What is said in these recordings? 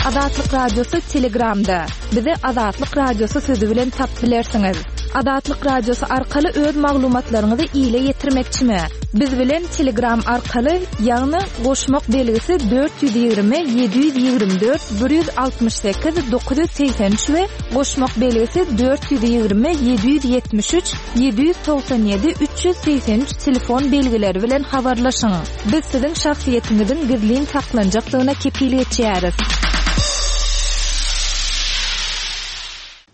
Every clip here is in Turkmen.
Azatlyk Radiosy Telegramda. Bizi Azatlyk Radiosy sözi bilen tapyp bilersiňiz. Azatlyk Radiosy arkaly öz maglumatlaryňyzy ile ýetirmekçimi? Biz bilen Telegram arkaly, ýagny goşmak belgisi 420 724 168 983 we goşmak belgisi 420 773 797 383 telefon belgileri bilen habarlaşyň. Biz siziň şahsyýetiňiziň gizlin saklanjakdygyna kepil geçýäris.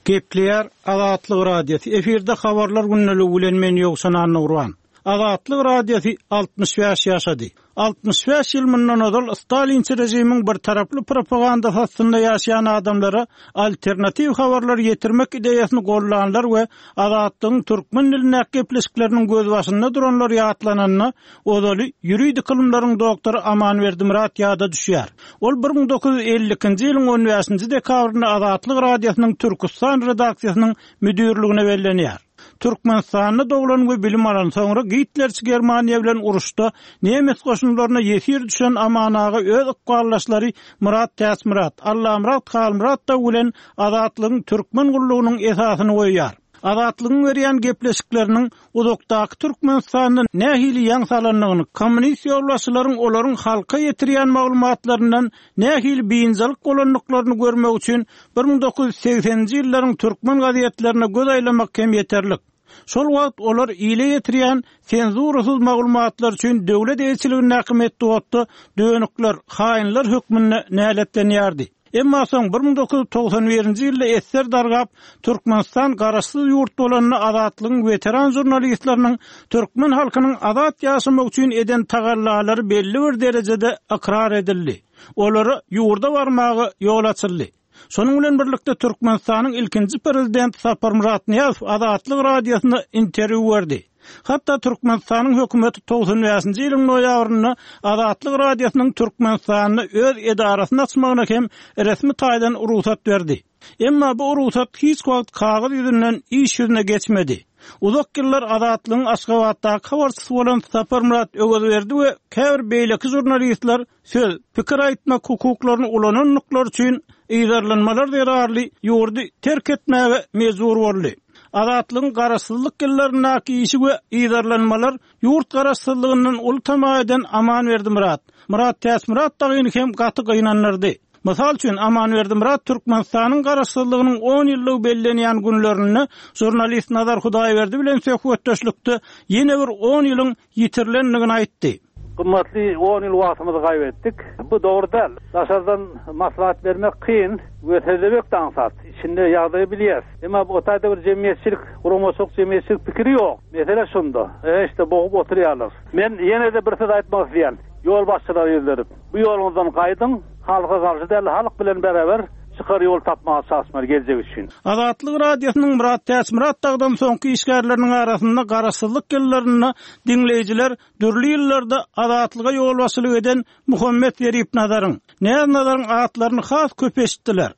Gepleýär Azatlyk Radiosy, efirde Habarlar gündeligi bilen men Ýowşan Annagurban. Azatlyk Radiosy 65 ýaşady. 65 ýyl mundan ozal stalinçi režimiň birtaraply propagandasy astynda ýaşaýan adamlara alternatiw habarlary ýetirmek ideýasyny gollanlar we Azatlygyň türkmen dilindäki gepleşikleriniň gözbaşynda duranlar ýatlananda, Ozaly ýuridik ylymlaryň doktory Amanberdi Myrat ýada düşýär. Ol 1952-nji ýylyň on bäşinji dekabrynda Azatlyk Radiosynyň Türküstan redaksiýasynyň müdirligine bellenýär. Türkmenistanda doglan we bilim alan, soňra gitlerçi Germaniýa bilen uruşda nemes goşunlaryna ýesir düşen Aman aga öz ykbaldaşlary Myrat Täçmyrat, Allamyrat Halmyrat dagy bilen Azatlygyň Türkmen gullugynyň esasyny goýýar. Azatlygyň berýän gepleşikleriniň uzakdaky Türkmenistanda nähili ýaň salandygyny, kommunist ýolbaşçylaryň olaryň halka ýetirýän maglumatlaryndan nähili biynjalyk bolandyklaryny görmek üçin 1980-nji ýyllaryň türkmen gazetlerine göz aýlamak hem ýeterlik. Şol wagt olar ile ýetirýän senzurasyz maglumatlar üçin döwlet eýeçiligindäki metbugatda dönükler, haýynlar hökmünde näletlenýärdi. Emma soň 1991-nji ýylda esser dargap, Türkmenistan garaşsyz ýurt bolanda Azatlygyň weteran žurnalistleriniň türkmen halkynyň azat ýaşamagy üçin eden tagallalary belli bir derejede ykrar edildi. Olara ýurda barmaga ýol açyldy. Şonuň bilen birlikde Türkmenistanyň ilkinji prezidenti Saparmyrat Nyýazow Azatlyk Radiosyna interwýu berdi. Hatda Türkmenistanyň hökümeti 95-nji ýylyň noýabrynda Azatlyk Radiosynyň Türkmenistanda öz edarasyny açmagyna hem resmi taýdan rugsat berdi. Emma bu rugsat hiç wagt kagyz ýüzünden iş ýüzüne geçmedi. Uzak ýyllar Azatlygyň Aşgabatdaky habarçysy bolan Saparmyrat Öwezberdi we käbir beýleki žurnalistler söz, pikir aýtmak hukuklaryny ulanandyklary üçin yzarlanmalar zerarly ýurdy terk etmäge mejbur boldy. Azatlygyň garaşsyzlyk ýyllaryndaky işi we yzarlanmalar ýurt garaşsyzlygyndan uly tama eden Amanberdi Myrat, Myrat Täçmyrat dagyny hem gaty gynandyrdy. Mysal üçin, Amanberdi Myrat Türkmenistanyň Garaşsyzlygynyň on ýyllygy bellenýän günlerinde žurnalist Nazar Hudaýberdi bilen söhbetdeşlikde ýene bir on ýylyň ýitirilendigini aýtdy. Gymmatly on ýyl wagtymyzy gaýbetdik. Bu dogry däl. Daşardan maslahat bermek kyn we sözlemek-de aňsat. Içinde ýagdaýy bilýäs. Emma bu taýda bir jemgyýetçilik, guramaçylyk jemgyýetçilik pikiri ýok. Mesele şunda. E, işte bogup oturýarlar. Men ýene-de bir söz aýtmak isleýän. Ýolbaşçylara ýüzlenip, bu ýoluňyzdan gaýdyň, halka garşy däl, halk bilen bäraber çykar ýol tapmaga çalyşmaly geljek üçin. Azatlyk Radiosynyň Myrat Täçmyrat dagdan soňky işgärleriniň arasynda garaşsyzlyk ýyllarynda diňleýjiler dürli ýyllarda Azatlyga ýolbaşçylyk eden Muhammet Zeripnazaryň, Näz Nazaryň atlaryny has köp eşitdiler.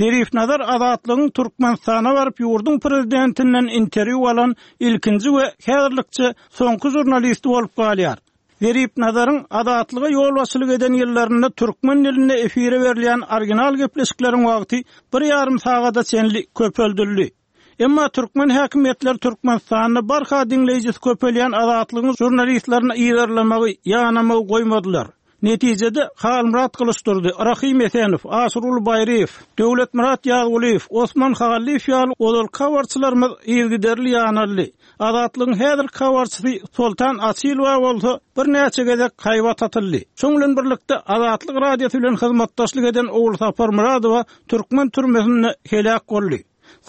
Zeripnazar Azatlygyň Türkmenistana baryp ýurduň prezidentinden interwýu alan ilkinji we häzirlikçe soňky žurnalisti bolup galýar. Zeripnazaryň Azatlyga ýolbaşçylyk eden ýyllarynda türkmen dilinde efire berilýän original gepleşikleriň wagty bir ýarym sagada çenli köpeldildi. Emma türkmen häkimiýetleri Türkmenistanda barha diňleýjisi köpelýän Azatlygyň žurnalistlerini yzarlamagy, ýanamagy goýmadylar. Netijede, Halmyrat Gylyçdurdy, Rahym Esenow, Aşyrguly Baýryýew, Döwletmyrat Ýazgulyýew, Osman Hallyýew ýaly ozalky habarçylarymyz yzygiderli ýanaldy. Azatlygyň häzirki habarçysy Soltan Açylowa bolsa birnäçe gezek haýbat atyldy. Şoň bilen birlikde, Azatlyk Radiosy bilen hyzmatdaşlyk eden Ogulsapar Myradowa türkmen türmesinde heläk boldy.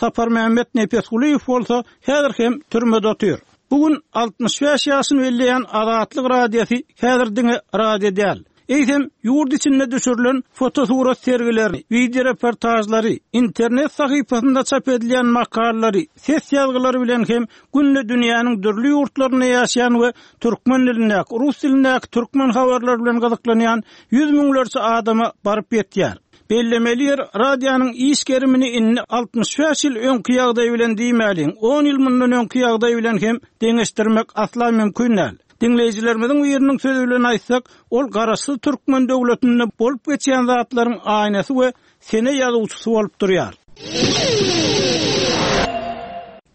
Saparmämmet Nepesgulyýew bolsa häzir hem türmede otyr. Bu gün 65 ýaşyny belleýän Azatlyk Radiosy häzir diňe radio däl. Eýsem, ýurt içinde düşürilen fotosurat sergilerini, wideoreportažlary, internet sahypasynda çap edilýän makalalary, ses ýazgylary bilen hem günde dünýäniň dürli ýurtlarynda ýaşaýan we türkmen dilindäki, rus dilindäki türkmen habarlary bilen gyzyklanýan ýüz müňlerçe adama baryp ýetýär. Bellemeli ýer, radionyň iş gerimini indi 65 ýyl öňki ýagdaý bilen diýmäliň, on ýyl mundan öňki ýagdaý bilen hem deňeşdirmek asla mümkin däl. Diňleýjilerimiziň biriniň sözi bilen aýtsak, ol garaşsyz türkmen döwletinde bolup geçýän zatlaryň aýnasy we sene ýazuwçysy bolup durýar.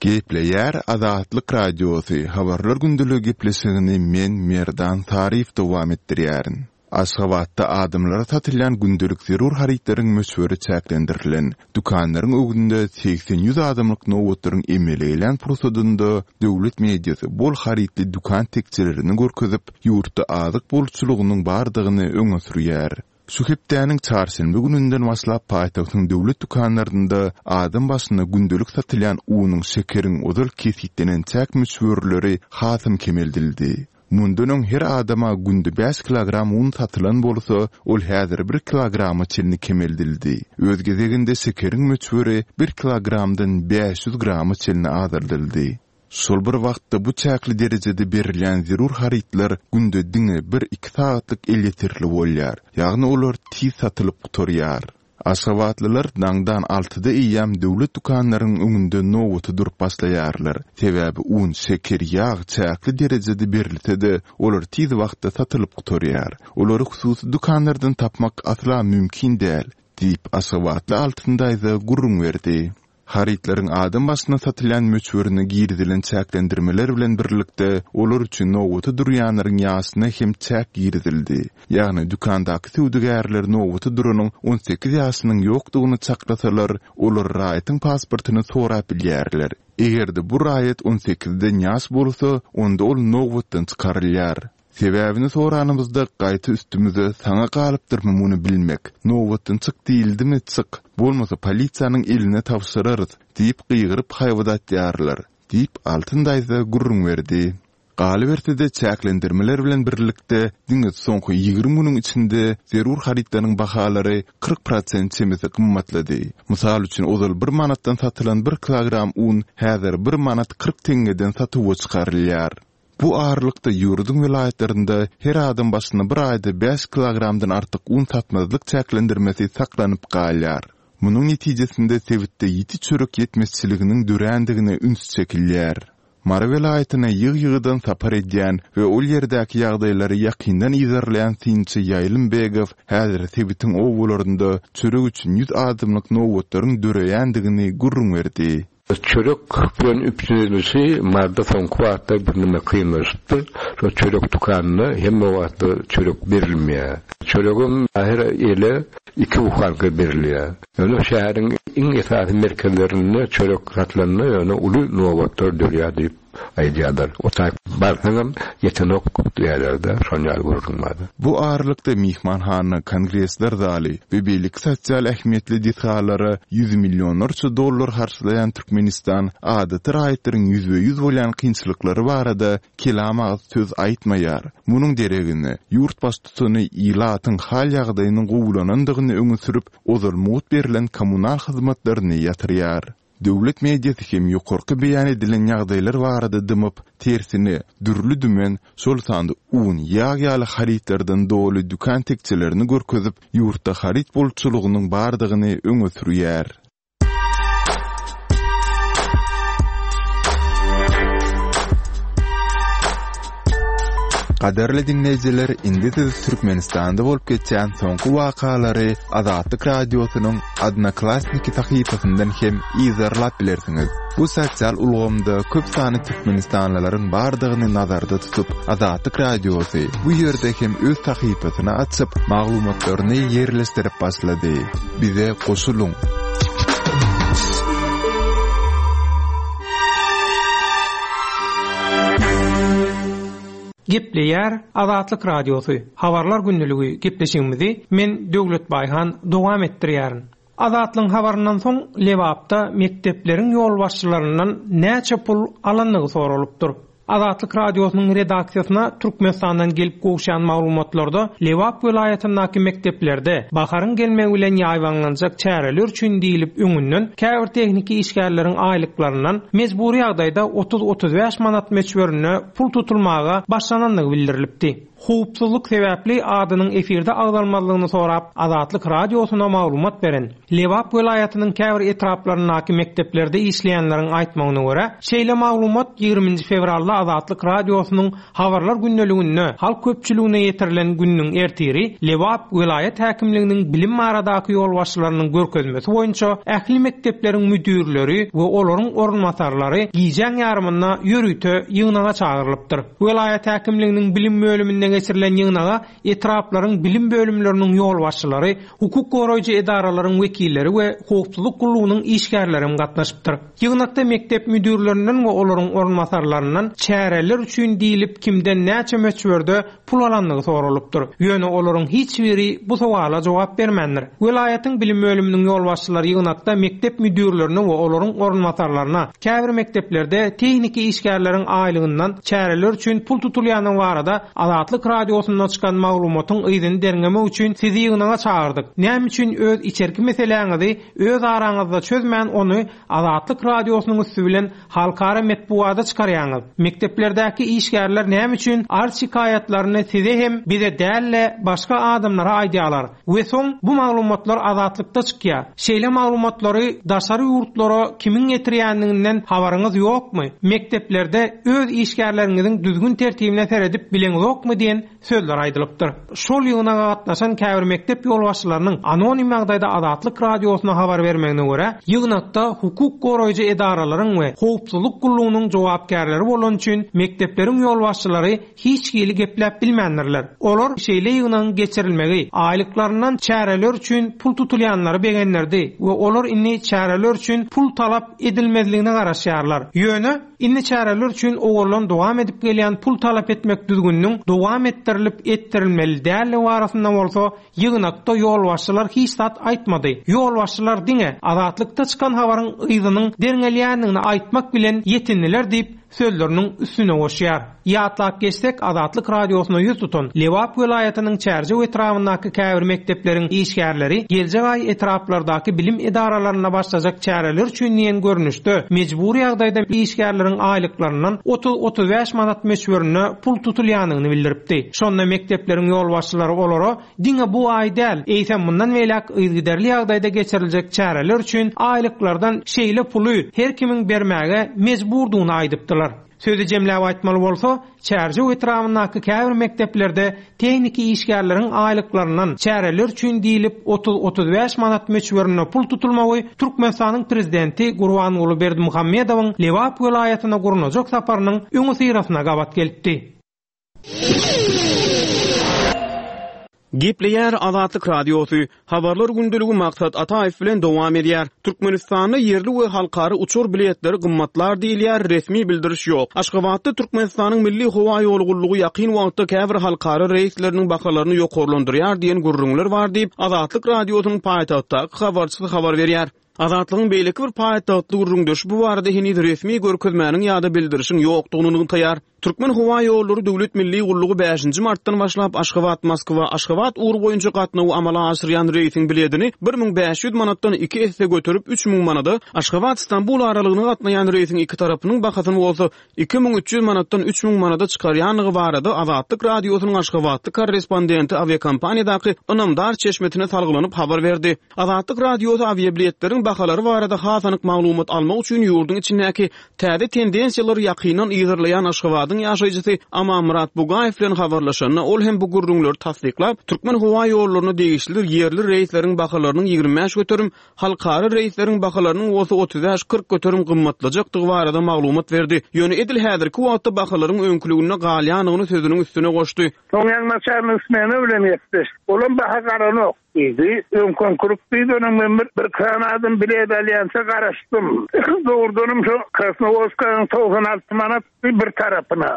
Gepleýär Azatlyk Radiosy, Habarlar gündeligi gepleşigini men, Merdan Saryýew dowam etdirýärin. Aşgabatda adamlara satylýan gündelik zerur harytlaryň möçberi çäklendirilen. Dükanlaryň öňünde segsen-ýüz adamlyk nobatlaryň emele gelýän pursadynda döwlet mediasy bol harytly dükan tekjelerini görkezip, ýurtda azyk bolçulygynyň bardygyny öňe sürýär. Şu hepdäniň çarşenbe gününden başlap paýtagtyň döwlet dükanlarynda adam başyna gündelik satylýan unuň, şekeriň ozal kesgitlenen çäk möçberleri hasam kemeldildi. Mundan öň her adama günde bäş kilogram un satylan bolsa, ol häzir bir kilograma çenli kemeldildi. Öz gezeginde şekeriň möçberi bir kilogramdan 500 grama çenli azaldyldy. Şol bir wagtda bu çäkli derejede berilýän zerur harytlar günde diňe bir-iki sagatlyk elýeterli bolýar, ýagny olar tiz satylyp gutarýar. Aşgabatlylar daňdan altyda eýýäm döwlet dükanlarynyň öňünde nobata durup başlaýarlar. Sebäbi un, şeker, ýag çäkli derejede berilse-de, olar tiz wagtda satylyp gutarýar. Olary hususy dükanlardan tapmak asla mümkin däl, diýip, aşgabatly Altyn daýza gürrüň berdi. Harytlaryň adam başyna satylýan möçberine girizilen çäklendirmeler bilen birlikde, olar üçin nobata durýanlaryň ýaşyna hem çäk girizildi. Ýagny, dükandaky söwdagärler nobata duranyň 18 ýaşynyň ýokdugyny çaklasalar, olar raýatyň pasportyny sorap bilýärler. Eger-de bu raýat on sekizden ýaş bolsa, onda ol nobatdan çykarylýar. Sebäbini soranymyzda, gaýta üstümize saňa galypdyrmy muny bilmek, nobatdan çyk diýildimi, çyk, bolmasa polisiýanyň eline tabşyrarys diýip gygyryp haýbat atýarlar, diýip, Altyn daýza gürrüň berdi. Galyberse-de, çäklendirmeler bilen birlikde, diňe soňky 20 günüň içinde zerur harytlaryň bahalary 40 prosent çemesi gymmatlady. Mysal üçin, ozal bir manatdan satylan bir kilogram un häzir bir manat 40 teňňeden satuwa çykarylýar. Bu aralykda, ýurduň welaýatlarynda her adam başyna bir aýda bäş kilogramdan artyk un satmazlyk çäklendirmesi saklanyp galýar. Munuň netijesinde sebitde ýiti çörek ýetmezçiliginiň dörändigine üns çekilýär. Mary welaýatyna ýygy-ýygydan sapar edýän we ol ýerdäki ýagdaýlary ýakyndan yzarlaýan synçy Ýaýlym Begow häzir sebitiň obalarynda çörek üçin ýüz adamlyk nobatlaryň döreýändigini gürrüň berdi. Çörek bilen üpjün edilişi Maryda soňky wagtlar birneme kynlaşypdyr. Şo çörek dükanynda hemme wagtda çörek berilmeýär. Çöregem her ele iki buhanka berilýär. Ýöne şäheriň iň esasy merkezlerinde çörek satylanda ýöne uly nobatlar dörýär diýip aýdýarlar. O taýyk barsaňam ýetenok diýýärler-de, şon ýaly gürrüň bar. Bu aralykda myhmanhana, kongresler zaly we beýleki sosial ähmiýetli desgalara ýüz millionlarça dollar harçlaýan Türkmenistan adaty raýatlaryň ýüzbe-ýüz bolýan kynçylyklary barada kelam agyz söz aýtmaýar. Munuň deregine, ýurt baştutany ilatyň hal-ýagdaýynyň gowulanandygyny öňe sürüp, ozal mugt berlen kommunal hyzmatlaryny ýatyrýar. Döwlet mediasy hem ýokarky beýan edilen ýagdaýlar barada dymyp, tersine, dürli-dümen, şol sanda un, ýag ýaly harytlardan doly dükan tekjelerini görkezip, ýurtda haryt bolçulygynyň bardygyny öňe sürýär. Gadyrly diňleýjiler, indi siz Türkmenistanda bolup geçýän soňky wakalary Azatlyk Radiosynyň Odnoklassniki sahypasyndan hem yzarlap bilersiňiz. Bu sosial ulgamda köp sanly türkmenistanlylaryň bardygyny nazarda tutup, Azatlyk Radiosy bu ýerde hem öz sahypasyny açyp, maglumatlaryny ýerleşdirip başlady. Bize goşulyň! Gepleýär Azatlyk Radiosy, Habarlar gündeligi gepleşigimizi men Döwlet Baýhan dowam etdirýärin. Azatlygyň habaryndan soň Lebapda mekdepleriň ýolbaşçylaryndan näçe pul alandygy soralypdyr. Azatlyk Radiosynyň redaksiýasyna Türkmenistandan gelip gowuşýan maglumatlarda Lebap welaýatyndaky mekdeplerde baharyň gelmegi bilen ýaýbaňlanjak çäreler üçin diýlip öňünden käbir tehniki işgärleriň aýlyklaryndan mejbury ýagdaýda otuz-otuz bäş manat möçberinde pul tutulmaga başlanandygy bildirilipdi. Howpsuzlyk sebäpli adynyň efirde agzalmazlygyny sorap, Azatlyk Radiosyna maglumat beren Lebap welaýatynyň käbir etraplaryndaky mekdeplerde işleýänleriň aýtmagyna görä, şeýle maglumat ýigriminji fewralda Azatlyk Radiosynyň Habarlar gündeliginde halk köpçüligine ýetirilen gününiň ertiri Lebap welaýat häkimliginiň bilim baradaky ýolbaşçylarynyň görkezmesi boýunça ähli mekdepleriň müdirleri we olaryň orunbasarlary gijäň ýarymynda ýörite ýygnaga çagyrylypdyr. Welaýat häkimliginiň bilim bölüminde geçirilen ýygnaga etraplaryň bilim bölümleriniň ýolbaşçylary, hukuk goraýjy edaralaryň wekilleri we howpsuzlyk gullugynyň işgärlerem gatnaşypdyr. Ýygnakda mekdep müdirlerinden we olaryň orunbasarlaryndan çäreler üçin diýlip kimden näçe möçberde pul alandygy soralypdyr. Ýöne olaryň hiç biri bu sowala jogap bermändir. Welaýatyň bilim bölüminiň ýolbaşçylary ýygnakda mekdep müdirlerine we olaryň orunbasarlaryna käbir mekdeplerde tehniki işgärleriň aýlygyndan çäreler üçin pul tutulýandygy barada Azatlyk Radiosynda çykan maglumatyň yzyny derňemek üçin sizi ýygnaga çagyrdyk. Näme üçin öz içerki meseläňizi öz araňyzda çözmän ony Azatlyk Radiosynyň üsti bilen halkara metbugada çykarýaňyz? Mekdeplerdäki işgärler näme üçin arz-şikaýatlaryny size hem bize däl-de başga adamlara aýdýarlar we soň bu maglumatlar Azatlykda çykýar? Şeýle maglumatlary daşary ýurtlara kimiň getirýändiginden habaryňyz ýokmy? Mekdeplerde öz işgärleriňiziň düzgün-tertibine seredip bileňzokmy diýen sözler aýdylypdyr. Şol ýygnaga gatnaşan käbir mekdep ýolbaşçylarynyň anonim ýagdaýda Azatlyk Radiosyna habar bermegine görä, ýygnakda hukuk goraýjy edaralaryň we howpsuzlyk gullugynyň jogapkärleri bolany üçin mekdepleriň ýolbaşçylary hiç hili gepläp bilmändirler. Olar şeýle ýygnagyň geçirilmegi, aýlyklaryndan çäreler üçin pul tutulýanlary begendirdi we olar indi çäreler üçin pul talap edilmezligine garaşýarlar. Ýöne, indi çäreler üçin owaldan dowam edip gelýän pul talap etmek düzgüniniň dowam etdirilip etdirilmeli däldigi barasynda bolsa ýygnakda ýolbaşçylar hiç zat aýtmady. Ýolbaşçylar diňe Azatlykda çykan habaryň yzynyň derňelýändigini aýtmak bilen ýetindiler diýip, sözleriniň üstüne goşýar. Ýatlap geçsek, Azatlyk Radiosyna ýüz tutan Lebap welaýatynyň Çärjew etrabyndaky käbir mekdepleriň işgärleri geljek aý etraplardaky bilim edaralarynda başlajak çäreler üçin diýen görnüşde mejbury ýagdaýda işgärleriň aýlyklaryndan 30-35 manat möçberinde pul tutulýandygyny bildiripdi. Şonda mekdepleriň ýolbaşçylary olara Diňe bu aý däl, eýsem mundan beýläk yzygiderli ýagdaýda geçiriljek çäreler üçin aýlyklardan şeýle puly her kimiň bermäge mejburdygyny aýdypdylar. Sözi jemläp aýtmaly bolsa, Çärjew etrabyndaky käbir mekdeplerde tehniki işgärleriň aýlyklaryndan çäreler üçin diýlip 30-35 manat möçberinde pul tutulmagy Türkmenistanyň Prezidenti Gurbanguly Berdimuhamedowyň Lebap welaýatyna gurnajak saparynyň öňüsyrasyna gabat gelipdi. Gepleýär Azatlyk Radiosy, Habarlar gündeligi Maksat Ataýew bilen dowam edýär. Türkmenistanda ýerli we halkara uçar biletleri gymmatlar diýilýär, resmi bildiriş ýok. Aşgabatda Türkmenistanyň Milli howa ýoly gullugy ýakyn wagtda käbir halkara reýsleriniň bahalaryny ýokarlandyrýar diýen gürrüňler bar diýip, Azatlyk Radiosynyň paýtagtdaky habarçysy habar berýär. Azatlygyň beýleki bir paýtagtly gürrüňdeşi bu barada heniz resmi görkezmäniň ýa-da bildirişiň ýokdugyny nygtaýar. Türkmenhowaýollary döwlet milli gullugy bäşinji martdan başlap Aşgabat-Moskwa, Aşgabat ugry boýunça gatnawy amala aşyrýan reýsiň biledini 1500 manatdan iki esse göterip 3000 manada, Aşgabat-Stambul aralygyna gatnaýan reýsiň iki tarapynyň bahasyny bolsa 2300 manatdan 3000 manada çykarýandygy barada Azatlyk Radiosynyň aşgabatly korrespondenti awiakompaniýadaky ynamdar çeşmesine salgylanyp habar berdi. Azatlyk Radiosy awiabiletleriň bahalary barada has anyk maglumat almak üçin ýurduň içindäki täze tendensiýalary ýakyndan yzarlaýan Aşgabadyň ýaşaýjysy Amanmyrat Bugaýew bilen habarlaşanda, ol hem bu gürrüňleri tassyklap, Türkmenhowaýollaryna degişli ýerli reýsleriň bahalarynyň 25%, halkara reýsleriň bahalarynyň bolsa 35-40 göterim gymmatlajakdygy barada maglumat berdi. Ýöne edil häzirki wagtda bahalaryň öňküliginde galýandygyny sözüniň üstüne goşdy. Soň ýaňy smena bilen gepleşdik. Olam baha garanok. Diýdi. Öňküňkilik diýdi, onuň men bir bir sany adam bilet alýança garaşdym. Dogrudanam şo Krasnowodskanyň 96 manat bir tarapyna,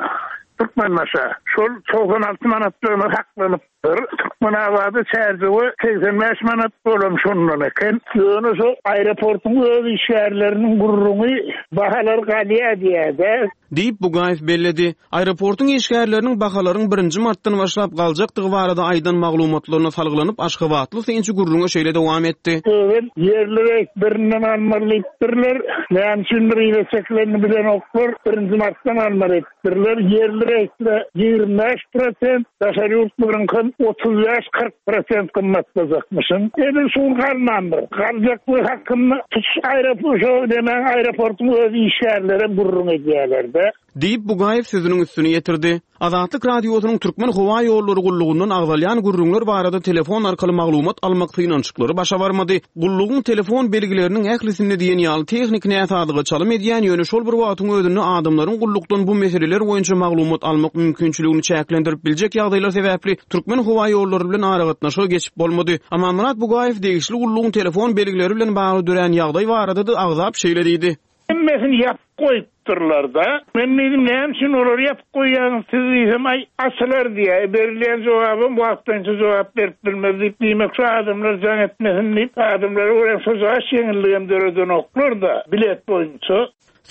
Türkmenbaşa. Şol 96 manatlygyna saklanyp. manatdyr. Türkmenabada Çärjewe 85 manat olam şondan eken. Ýöne şo aeroportuň öz işgärleriniň gürrüňi bahalar galýar diýýär-dä. Diýip, Bugaýew belledi. Aeroportuň işgärleriniň bahalaryň birinji martdan başlap galjakdygy barada aýdan maglumatlaryna salgylanyp, aşgabatly synçy gürrüňe şeýle dowam etdi. Özem ýerli reýs birinden almaly diýipdirler. Näme üçindir yza çekilenini bilenoklar. Birinji martdan almaly edipdirler. Ýerli reýsde 25 prosent, daşary ýurtlaryňkam 35, 40 prosent gymmatlajakmyşyn. Edil şu gün galmandyr. Galjaklygy hakynda tutuş aeroport şo nemäň aeroportuň öz işgärlerem gürrüň edýärler-de. Diýip, Bugaýew sözüniň üstüni ýetirdi. Azatlyk Radiosynyň Türkmen howa ýollary gullugyndan agzalýan gürrüňler barada telefon arkaly maglumat almak synanyşyklary başa barmady. Gullugyň telefon belgileriniň ählisinde diýen ýaly tehniki näsazlyga çalym edýän, ýöne şol bir wagtyň özünde adamlaryň gullukdan bu meseleler boýunça maglumat almak mümkinçiligini çäklendirip biljek ýagdaýlar sebäpli Türkmenhowaýollary bilen aragatnaşyga geçip bolmady. Amanmyrat Bugaýew degişli gullugyň telefon belgileri bilen bagly dörän ýagdaý barada-da agzap şeýle diýdi. Hemmesini ýapyp goýupdyrlar-da. Men diýdim, näme üçin olary ýapyp goýýaňyz siz diýsem, aý, açylar diýýär. E, berilýän jogabam wagtlaýynça jogap berip bilmez diýip, diýmek şu adamlar jaň etmesin diýip, adamlara görä şojagaş ýeňilligem döredenoklar-da, bilet boýunça.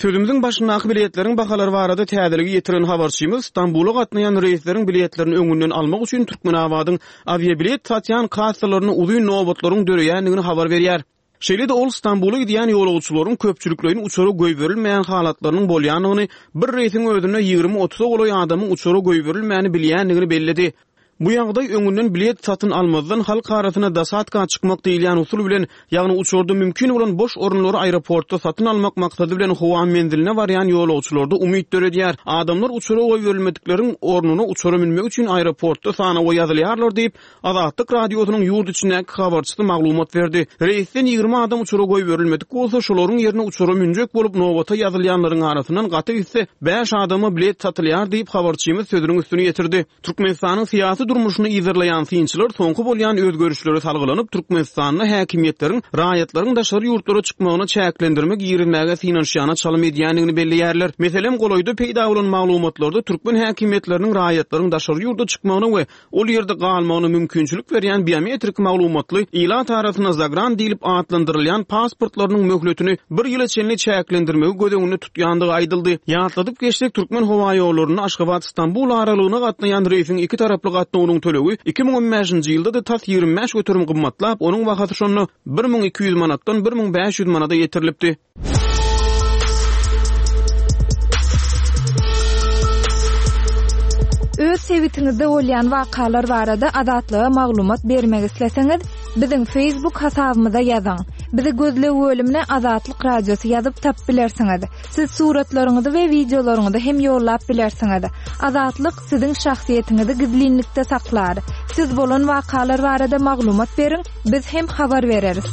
Sözümiziň başyndaky biletleriň bahalary barada täzeligi ýetiren habarçymyz Stambula gatnaýan reýsleriň biletlerini öňünden almak üçin Türkmenabadyň awiabilet satýan kassalarynda uzyn nobatlaryň döreýändigini habar berýär. Şeýle-de ol Stambula gidýän ýolagçylaryň köpçülikleýin uçara goýberilmeýän halatlarynyň bolýandygyny, bir reýsiň özünde ýigrimi-otuza golaý adamyň uçara goýberilmäni bilýändigini belledi. Bu ýagdaý öňünden bilet satyn almazdan halk arasynda dosadka çykmak diýilýän usul bilen, ýagny uçarda mümkin bolan boş orunlary aeroportda satyn almak maksady bilen howa menziline barýan ýolagçylarda umyt döredýär. Adamlar uçara goýberilmedikleriň ornuna uçara münmek üçin aeroportda sanawa ýazylýarlar diýip, Azatlyk Radiosynyň ýurt içindäki habarçysy maglumat berdi. Reýsden 20 adam uçara goýberilmedik bolsa, şolaryň ýerine uçara münjek bolup nobata ýazylýanlaryň arasyndan gaty gitse, bäş adama bilet satylýar diýip, habarçymyz sözüniň üstüni ýetirdi. Türkmenistanyň syýasy durmuşyny yzarlaýan synçylar soňky bolýan özgerişlere salgylanyp, Türkmenistanda häkimiýetleriň raýatlaryň daşary ýurtlara çykmagyna çäklendirme girizmäge synanyşýana çalym edýändigini belleýärler. Meselem, golaýda peýda bolan maglumatlarda türkmen häkimiýetleriniň raýatlaryň daşary ýurda çykmagyna we ol ýerde galmagyna mümkinçilik berýän biometrik maglumatly, ilat arasynda zagran diýlip atlandyrylýan pasportlarynyň möhletini bir ýyla çenli çäklendirmegi göz öňünde tutýandygy aýdyldy. Ýatladyp geçsek, Türkmenhowaýollarynda Aşgabat-Stambul aralygyna gatnaýan reýsiň iki taraply gatnawynyň tölegi 2015-nji ýylda-da tas 25% gymmatlap, onuň bahasy şonda 1200 manatdan 1500 manada ýetirilipdi. Öz sebitiňizde bolýan wakalar barada Azatlyga maglumat bermek isleseňiz, biziň Facebook hasabymyza ýazyň. Bizi gözleg bölümine Azatlyk Radiosy ýazyp tapyp bilersiňiz. Siz suratlaryňyzy we wideolaryňyzy hem ýollap bilersiňiz. Azatlyk siziň şahsyýetiňizi gizlinlikde saklar. Siz bolan wakalar barada maglumat beriň, biz hem habar bereris.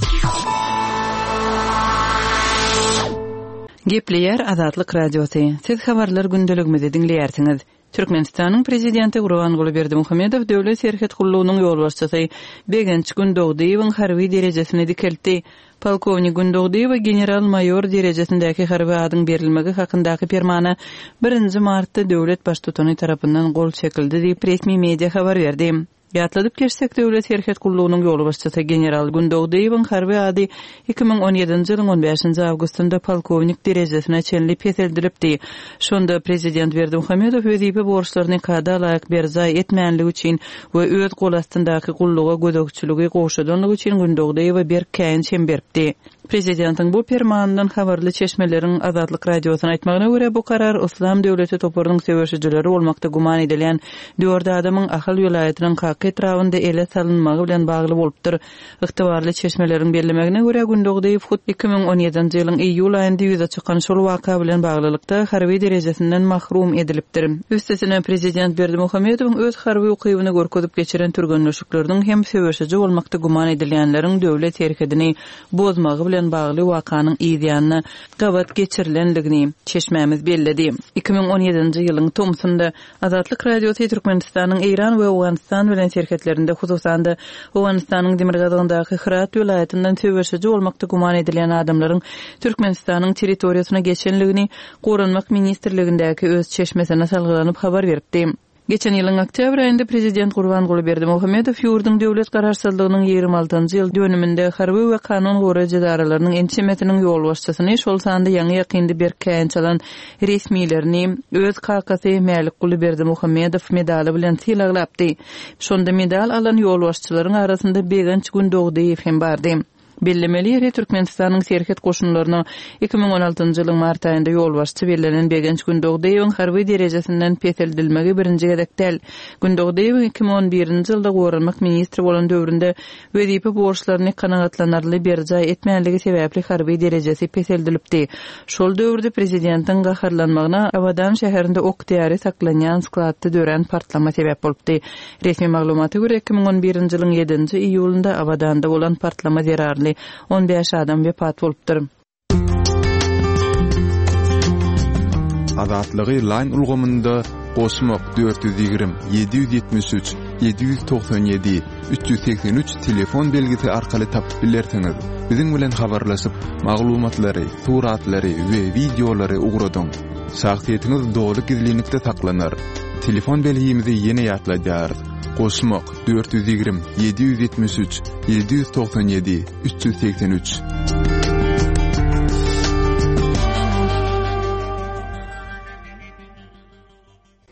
Gepleýär Azatlyk Radiosy. Siz habarlar gündeligimizi diňleýärsiňiz. Türkmenistanyň Prezidenti Gurbanguly Berdimuhamedow Döwlet serhet gullugynyň ýolbaşçysy Begenç Gündogdyýewiň harby derejesini dikeltdi. Polkownik Gündogdyýewe general-maýor derejesindäki harby adyň berilmegi hakyndaky permana birinji martda döwlet Baştutany tarapyndan gol çekildi diýip, resmi media habar berdi. Ýatladyp geçsek, Döwlet serhet gullugynyň ýolbaşçysy general Gündogdyýewiň harby ady 2017-nji ýylyň on bäşinji awgustynda polkownik derejesine çenli peseldilipdi. Şonda prezident Berdimuhamedow wezipe borçlaryny kada laýyk berjaý etmänligi üçin we öz gol astyndaky gulluga gözegçiligi gowşadanlygy üçin Gündogdyýewe berk käýinç hem beripdi. Prezidentiň bu permanyndan habarly çeşmeleriň Azatlyk Radiosyna aýtmagyna görä, bu karar Yslam döwleti toparynyň söweşijileri bolmakda güman edilýän dört adamyň Ahal welaýatynyň Kaka etrabynda ele salynmagy bilen bagly bolupdyr. Ygtybarly çeşmeleriň bellemegine görä, Gündogdyýew hut 2017-nji ýylyň iýul aýynda ýüze çykan şol waka bilen baglylykda harby derejesinden mahrum edilipdir. Üstesine, prezident Berdimuhamedowyň öz harby ukybyny görkezip geçiren türgenleşikleriniň hem söweşiji bolmakda güman edilýänleriň döwlet serhedini bozmagy bilen bagly wakanyň yz ýanyna gabat geçirilendigini çeşmämiz belledi. 2017-nji ýylyň tomsunda Azatlyk Radiosy Türkmenistanyň Eýran we Owganystan bilen serhetlerinde, hususan-da, Owganystanyň demirgazygyndaky Hyrat welaýatyndan söweşiji bolmakda güman edilýän adamlaryň Türkmenistanyň territoriýasyna geçenligini Goranmak ministrligindäki öz çeşmesine salgylanyp habar beripdi. Geçen ýylyň oktýabr aýynda prezident Gurbanguly Berdimuhamedow ýurduň döwlet garaşsyzlygynyň 26-njy ýyl dönüminde harby we kanun goraýjy edaralarynyň ençemesiniň ýolbaşçysyny, şol sanda ýaňy-ýakynda berk käýinç alan resmilerini öz kakasy Mälikguly Berdimuhamedow medaly bilen sylaglapdy. Şonda medal alan ýolbaşçylaryň arasynda Begenç Gündogdyýew hem bardy. Bellemeli ýeri, Türkmenistanyň Serhet goşunlaryna 2016 njy ýylyň mart aýynda ýolbaşçy bellenen Begenç Gündogdyýewiň harby derejesinden peseldilmegi birinji gezek däl. Gündogdyýewiň 2011-nji ýylda goranmak ministri bolan döwründe wezipe borçlaryny kanagatlanarly berjaý etmänligi sebäpli harby derejesi peseldilipdi. Şol döwürde prezidentiň gaharlanmagyna Abadan şäherinde ok-däri saklanýan skladda dörän partlama sebäp bolupdy. Resmi maglumata görä, 2011-nji ýylyň ýedinji iýulynda Abadanda bolan partlama zerarly 15 adam wepat bolupdyr. Azatlygy Line ulgamynda goşmak 420 773 797 383 telefon belgisi arkaly tapyp bilersiňiz. Biziň bilen habarlaşyp, maglumatlary, suratlary we wideolary ugradyň. Şahsyýetiňiz doly gizlinlikde saklanar. Telefon belgimizi ýene ýatladýarys, Goşmak, 420 773 797 383.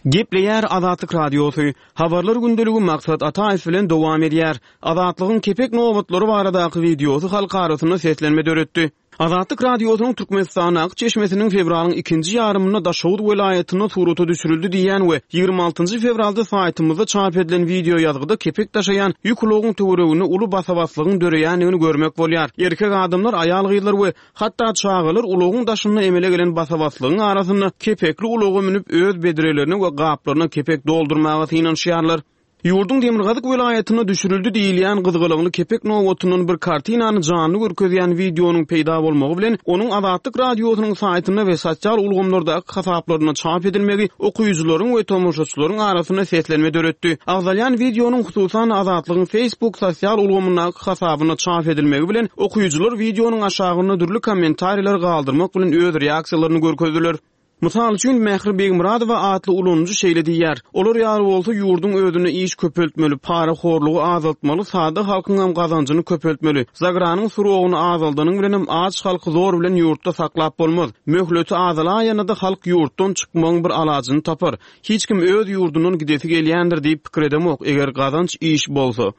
Gepleýär Azatlyk Radiosy, Habarlar gündeligi Maksat Ataýew bilen dowam edýär. Azatlygyň kepek nobatlary baradaky wideosy halk arasynda seslenme döretdi. Azatlyk Radiosynyň Türkmenistandaky çeşmesiniň fewralyň ikinji ýarymynda Daşoguz welaýatynda surata düşürildi diýýän we 26 fewralda saýtymyzda çap edilen wideoýazgyda kepek daşaýan ýük ulagyň töwereginde uly basa-baslygyň döreýändigini görmek bolýar. Erkek adamlar, aýal-gyzlar we hatda çagalar ulagyň daşynda emele gelen basa-baslygyň arasynda kepekli ulaga münüp, öz bedrelerine we gaplaryna kepek doldurmaga synanyşýarlar. Ýurduň demirgazyk welaýatynda düşürildi diýilýän gyzgalaňly kepek nobatyndan bir kartinany janly görkezýän wideonyň peýda bolmagy bilen, onuň Azatlyk Radiosynyň saýtynda we sosial ulgamlardaky hasaplarynda çap edilmegi okyjylaryň we tomaşaçylaryň arasynda seslenme döretdi. Agzalýan wideonyň hususan-da Azatlygyň Facebook sosial ulgamyndaky hasabynda çap edilmegi bilen, okyjylar wideonyň aşagynda dürli kommentariýalar galdyrmak bilen öz reaksiýalaryny görkezdiler. Mysal üçin, Mähri Begmyradowa atly ulanyjy şeýle diýýär, Olar ýaly bolsa, ýurduň özünde iş köpeltmeli, parahorlugy azaltmaly, sada halkyňam gazanjyny köpeltmeli. Zagranyň srogyny azaldanyň bilenem aç halky zor bilen ýurtda saklap bolmaz. Möhleti azalaýanda-da halk ýurtdan çykmagyň bir alajyny tapar. Hiç kim öz ýurdundan gidesi gelýändir diýip pikir edemok, eger gazanç, iş bolsa.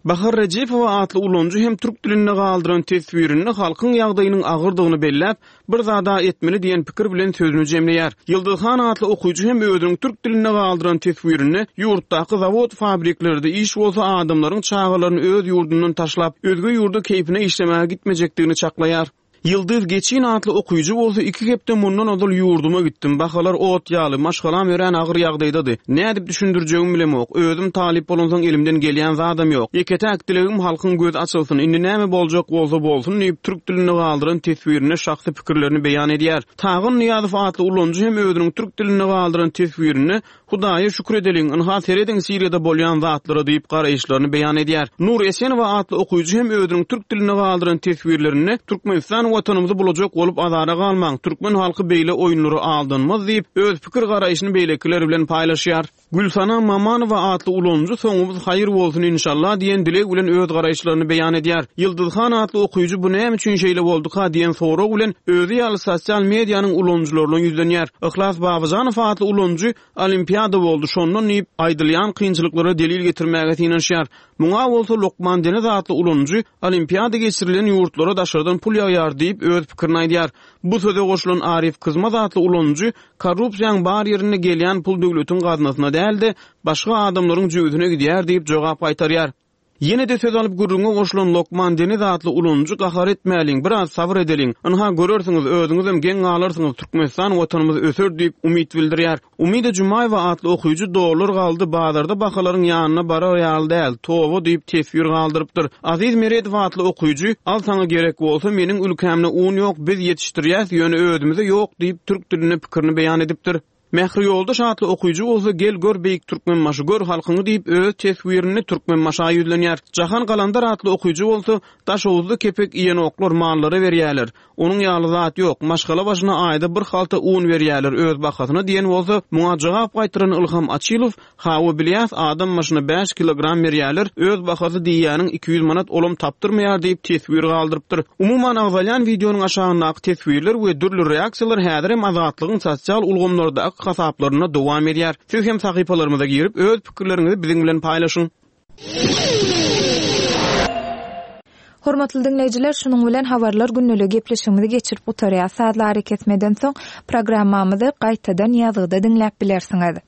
Bahar Rejepowa atly ulanyjy hem türk dilinde galdyran teswirinde halkyň ýagdaýynyň agyrdygyny belläp, bir zada etmeli diýen pikir bilen sözüni jemleýär. Ýyldyz han atly okyjy hem özüniň türk dilinde galdyran teswirinde ýurtdaky zawod-fabriklerde iş bolsa adamlaryň çagalaryny öz ýurdundan taşlap, özge ýurda keýpine işlemäge gitmejekdigini çaklaýar. Ýyldyz Geçin atly okyjy bolsa iki hepde mundan ozal ýurduma gitdim. Bahalar ot ýaly, maşgalam örän agyr ýagdaýdady. Nädip düşündirjegimi bilemok. Özüm talyp bolansoň elimden gelýän zadam ýok. Ýeke-täk dilegim halkyň gözi açylsyn, indi näme boljak bolsa bolsun diýip, türk dilinde galdyran teswirinde şahsy pikirlerini beýan edýär. Tagan Nyýazow atly ulanyjy hem özüniň türk dilinde galdyran teswirinde Hudaýa şükür edeliň, ynha serediň Siriýada bolýan zatlara diýip garaýyşlaryny beýan edýär. Nur Esenowa atly okyjy hem özüniň türk dilinde galdyran teswirlerinde Türkmenistan watanymyzy bulajak bolup azara galmaň, türkmen halky beýle oýunlara aldanmaz diýip, öz pikir-garaýşyny beýlekiler bilen paýlaşýar. Gülsana Mamanowa atly ulanyjy Soňumyz haýyr bolsun inşallah diýen dileg bilen öz garaýyşlaryny beýan edýär. Ýyldyzhan atly okyjy bu näme üçin şeýle bolduka diýen sorag bilen özi ýaly sosial medianyň ulanyjylaryna ýüzlenýär. Yhlas Babajanow atly ulanyjy Olimpiada boldy şondan diýip, aýdylýan kynçylyklara delil getirmäge synanyşýar. Muňa bolsa Lokman Deniz atly ulanyjy Olimpiada geçirilen ýurtlara daşardan pul ýagýar diýip, öz pikirini aýdýar. Bu söze goşulan Arif Kyzmaz atly ulanyjy Korrupsiýaň bar ýerinde gelýän pul döwletiň gaznasyna däl-de, başga adamlaryň jübüsine gidýär diýip jogap gaýtarýar. Ýene-de söz alyp gürrüňe goşulan Lokman Deniz atly ulanyjy gahar etmäliň, biraz sabyr edeliň. Ynha görersiňiz, özüňizem geň galarsyňyz, Türkmenistan watanymyz öser diýip umyt bildirýär. Umyda Jumaýewa atly okyjy dollar galdy, bazarda bahalaryň ýanyna barar ýaly däl, toba diýip teswir galdyrypdyr. Aziz Meredow atly okyjy al saňa gerek bolsa, meniň ülkämde un ýok, biz ýetişdirýäs, ýöne özümize ýok diýip türk dilinde pikirini beýan edipdir. Mähri Ýoldaş atly okyjy bolsa Gel gör beýik Türkmenbaşy gör halkyňy diýip öz teswirinde Türkmenbaşa ýüzlenýär. Jahan Galandar atly okyjy bolsa Daşoguzda kepek iýenoklar mallara berýäler. Onuň ýaly zat ýok. Maşgala başyna aýda bir halta un berýäler öz bahasyna diýen bolsa, muňa jogap gaýtaran Ylham Açylow, Hawa bilýäs adam başyna bäş kilogram berýäler, öz bahasy diýýäniň 200 manat olam tapdyrmaýar diýip teswir galdyrypdyr. Umuman agzalýan wideonyň aşagyndaky teswirler we dürli reaksiýalar häzirem Azatlygyň sosial ulgamlardaky hasaplarynda dowam edýär. Siz hem sahypalarymyza girip öz pikirleriňizi biziň bilen paýlaşyň. Hormatly diňleýjiler, şunuň bilen Habarlar gündeligi gepleşigimizi geçirip gutarýas. Sazly arakesmeden soň programmamyzy gaýtadan ýazgyda diňläp bilersiňiz.